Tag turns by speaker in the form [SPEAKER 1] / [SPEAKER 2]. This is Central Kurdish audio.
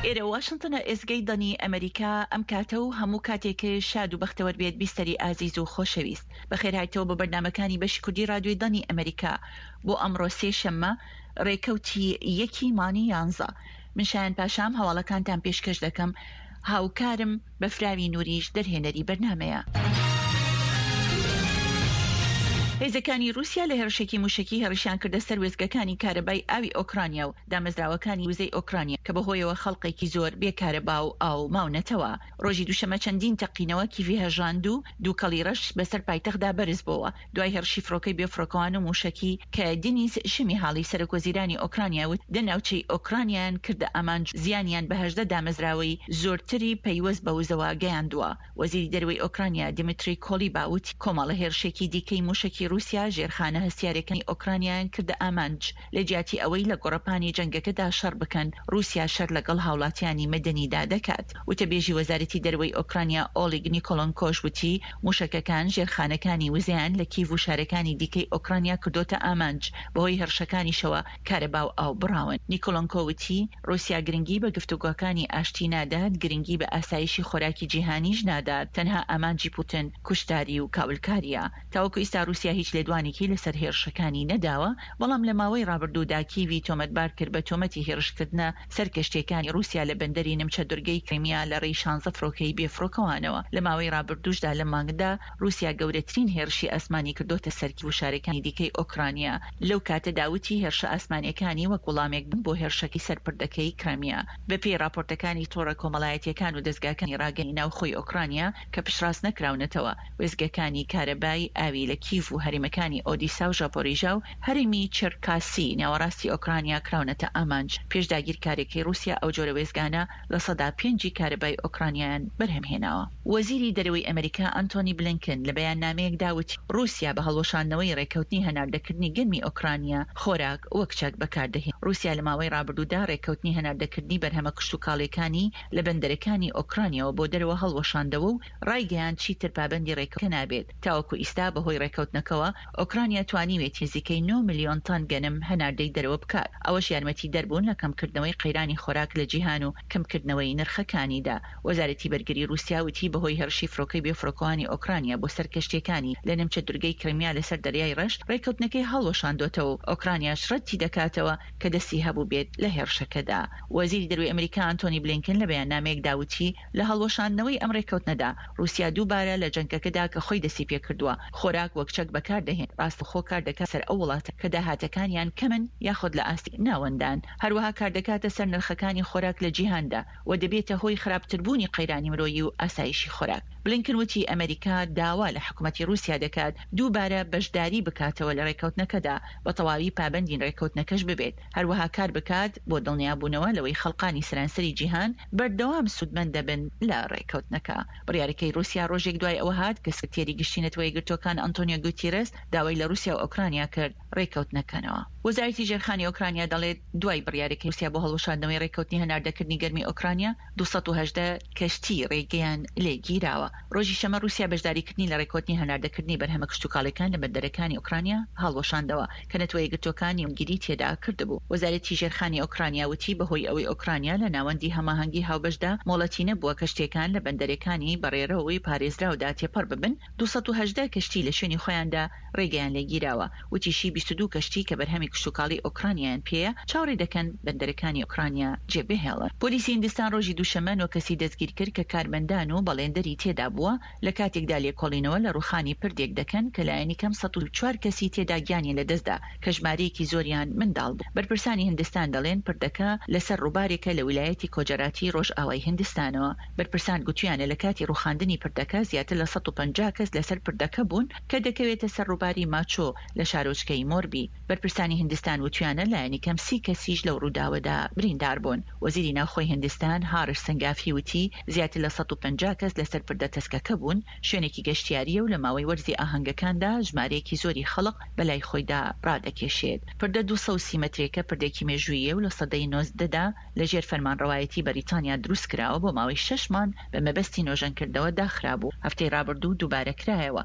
[SPEAKER 1] ئێرە واشنتنە ئێزگەی دەنگی ئەمەریکا ئەم کاتە و هەموو کاتێک شاد و بەختەوەر بێت بیستەری ئازیز و خۆشەویست بەخێرهایتەوە بۆ بەرنامەکانی بەشی کوردی ڕادیۆی دەنگی ئەمەریکا بۆ ئەمڕۆ سێ شەممە ڕێکەوتی یەکی مانگی یانزە من شایان پاشام هەواڵەکانتان پێشکەش دەکەم هاوکارم بەفراوی نوریش دەرهێنەری بەرنامەیە. هێزەکانی رووسیا لە هێڕشێکی مووشەکی هێڕشیان کردە سەر وێستگەکانی کارەبای ئاوی ئۆکرانیا و دامەزراوەکانی وزەی ئۆکرانیا کە بەهۆیەوە خەڵقێکی زۆر بێ کارەبا و ئاو ماونەتەوە. رۆژی دووشەمە چەندین تەقینەوە کیڤی هەژاند و دووکەڵی رەش بەسەر پایتەختدا بەرزبۆوە. دوای هێڕشی فڕۆکەی بێفڕۆکەوان و مووشەکی کە دینیس شمیهالی سەرۆکوەزیرانی ئۆکرانیا وت دە ناوچەی ئۆکرانیایان کردە ئامانج و زیانیان بە 18 دامەزراوەی زۆرتری پەیوەست بە وزەوە گەیاندووە. وەزیری دەرەوەی ئۆکرانیا دیمیتری کۆلیبا وتی کۆمەڵە هێرشێکی دیکەی مووشەکی ڕووسیا ژێرخانە هەستیارەکانی ئۆکرانیایان کردە ئامانج. لە جیاتی ئەوەی لە گۆڕەپانی جەنگەکەدا شەڕ بکەن، ڕووسیا شەر لەگەڵ هاوڵاتیانی مەدەنیدا دەکات. وتەبێژی وەزارەتی دەرەوەی ئۆکرانیا ئۆلیگ نیکۆلۆنکۆش وتی، مووشەکەکان ژێرخانەکانی وزەیان لە کیڤ و شارەکانی دیکەی ئۆکرانیا کردۆتە ئامانج، بەهۆی هێڕشەکانیشەوە کارەبا و ئاو بڕاون. نیکۆلۆنکۆ وتی، ڕووسیا گرنگی بە گفتوگۆکانی ئاشتی نادات، گرنگی بە ئاسایشی خۆراکی جیهانیش نادات، تەنها ئامانجی پوتن کوشتاری و کاولکارییە. تاوەکو ئیستا ڕووسیا هیچ لێدوانێکی لەسەر هێڕشەکانی نەداوە، بەڵام لە ماوەی ڕابردوودا کیڤی تۆمەتبار کرد بە تۆمەتی هێڕشکردنە سەر کەشتییەکانی ڕووسیا لە بەندەری نمچە دورگەی کریمیا لە ڕێی شانزە فڕۆکەی بێفڕۆکەوانەوە. لە ماوەی ڕابردووشدا لەم مانگدا ڕووسیا گەورەترین هێڕشی ئاسمانی کردۆتە سەر کیڤ و شارەکانی دیکەی ئۆکرانیا، لەو کاتەدا وتی هێرشە ئاسمانییەکانی وەک وڵامێک بوون بۆ هێرشەکەی سەر پردەکەی کریمیا. بەپێی ڕاپۆرتەکانی تۆڕە کۆمەڵایەتییەکان و دەزگاکانی ڕاگەیاندنی ناوخۆی ئۆکرانیا کە پشتڕاست نەکراونەتەوە، وێستگەکانی کارەبای ئاوی لە کیڤ و هەرێمەکانی ئۆدیسا و ژاپۆریژا و هەرێمی چێرکاسی ناوەڕاستی ئۆکرانیا کراونەتە ئامانج. پێش داگیرکاریەکەی ڕووسیا ئەو جۆرە وێستگانە 5% ی کارەبای ئۆکرانیایان بەرهەمهێناوە. وەزیری دەرەوەی ئەمریکا ئەنتۆنی بلینکن لە بەیاننامەیەکدا وتی، ڕووسیا بە هەڵوەشاندنەوەی ڕێککەوتنی هەناردەکردنی گەنمی ئۆکرانیا خۆراک وەک چەک بەکاردەهێنێت. ڕووسیا لە ماوەی ڕابردوودا ڕێککەوتنی هەناردەکردنی بەرهەمە کشتوکاڵییەکانی لە بەندەرەکانی ئۆکرانیاوە بۆ دەرەوە هەڵوەشاندەوە و ڕایگەیاند چیتر پابەندی ڕێککەوتنەکە نابێت، تاوەکو ئیستا بەهۆی ڕێککەوتنەکەوە ئۆکرانیا توانیوێتی نزیکەی نۆ ملیۆن تەن گەنم هەناردەی دەرەوە بکات، ئەوەش یارمەتیدەر بوون لە کەمکردنەوەی قەیرانی خۆراک لە جیهان و کەمکردنەوەی نرخەکانیدا. وەزارەتی بەرگری ڕووسیا وتی بەهۆی هێڕشی فڕۆکەی بێفڕۆکەوانی ئۆکرانیا بۆ سەر کەشتییەکانی لە نیمچە دورگەی کریمیا لەسەر دەریای ڕەش، ڕێککەوتنەکەی هەڵوەشاندۆتەوە و ئۆکرانیاش ڕەتی دەکاتەوە کە دەستی هەبووبێت لە هێڕشەکەدا. وەزیری دەروەی ئەمریکا ئانتۆنی بلینکن لە بەیاننامەیەکدا وتی لە هەڵوەشاندنەوەی ئەم ڕێککەوتنەدا، ڕووسیا دووبارە لە جەنگەکەدا کە خۆی دەستی پێکردووە، خۆراک وەک چەک بەکار دەهێنێت، ڕاستەوخۆ کار دەکاتە سەر ئەو وڵاتە کە داهاتەکانیان کەمن یاخود لە ئاستی ناوەندان، هەروەها کاردەکاتە سەر نرخەکانی خۆراک لە جیهاندا و دەبێتە هۆی خراپتربوونی قەیرانی مرۆیی و ئاسایشی خۆراک. بلینکن وتی ئەمەریکا داوا لە حکومەتی ڕووسیا دەکات دووبارە بەشداری بکاتەوە لە ڕێککەوتنەکەدا، بە تەواوی پابەندی ڕێککەوتنەکەش ببێت. هەروەها کار بکات بۆ دڵنیابوونەوە لەوەی خەڵقانی سەرانسەری جیهان بەردەوام سوودمەند دەبن لە ڕێککەوتنەکە. بڕیارەکەی ڕووسیا ڕۆژێک دوای ئەوە هات کە سکرتێری گشتی نەتەوە یەکگرتووەکان ئەنتۆنیۆ گوتیرێس داوای لە ڕووسیا و ئۆکرانیا کرد ڕێککەوتنەکەنەوە. وەزارەتی ژێرخانی ئۆکرانیا دەڵێت، دوای بڕیارەکەی ڕووسیا بۆ هەڵوەشاندنەوەی ڕێککەوتنی هەناردەکردنی گەرمی ئۆکرانیا، 218 کەشتی ڕێگەیان لێ گیراوە. ڕۆژی شەمە ڕووسیا بەشداریکردنی لە ڕێککەوتنی هەناردەکردنی بەرهەمە کشتوکاڵیەکان لە بەندەرەکانی ئۆکرانیا هەڵوەشاندەوە کە نەتەوە یەکگرتووەکان نێوەندگیری تێدا کردبوو. وەزارەتی ژێرخانی ئۆکرانیا وتی بەهۆی ئەوەی ئۆکرانیا لە ناوەندی هەماهەنگی هاوبەشدا مۆڵەتی نەبووە کەشتیەکان لە بەندەرەکانی بە ڕێڕەوی پارێزراودا تێپەڕ ببن، 218 کەشتی لە شوێنی خۆیاندا ڕێگەیان لێگیراوە. وتیشی 22 کەشتی کە بەرهەمی کشتوکاڵی ئۆکرانیایان پێیە، چاوەڕێ دەکەن بەندەرەکانی ئۆکرانیا جێبهێڵن. پۆلیسی هیندستان ڕۆژی دووشەممە نۆ کەسی دەستگیرکرد کە کارمەندان و بەڵێندەری تێدا بووە، لە کاتێکدا لێکۆڵینەوە لە ڕووخانی پردێک دەکەن کە لایەنی کەم 104 کەسی تێدا گیانیان لەدەستدا کە ژمارەیەکی زۆریان منداڵ بوون. بەرپرسانی هیندستان دەڵێن پردەکە لەسەر ڕووبارێکە لە ویلایەتی کۆجەراتی ڕۆژئاوای هیندستانەوە. بەرپرسان گوتویانە لە کاتی ڕووخاندنی پردەکە زیاتر لە 150 کەس لەسەر پردەکە بوون کە دەکەوێتە سەر ڕووباری ماچۆ لە شارۆچکەی مۆربی. بەرپرسانی هیندستان وتویانە لایەنی کەم سی کەسیش لەو ڕووداوەدا بریندار بوون. وەزیری ناوخۆی هیندستان هارش سنگافی وتی زیاتر لە 150 کەس لەسەر پردە تەسکەکە بوون، شوێنێکی گەشتیارییە و لە ماوەی وەرزی ئاهەنگەکاندا ژمارەیەکی زۆری خەڵق بەلای خۆیدا ڕادەکێشێت. پردە 230 مەترێکە پردێکی مێژووییە و لە سەدەی 19 دا لە ژێر فەرمانڕەوایەتی بەریتانیا دروستکراوە، بۆ ماوەی شەش مانگ بە مەبەستی نۆژەنکردنەوە داخرابوو، هەفتەی ڕابردوو دووبارە کرایەوە.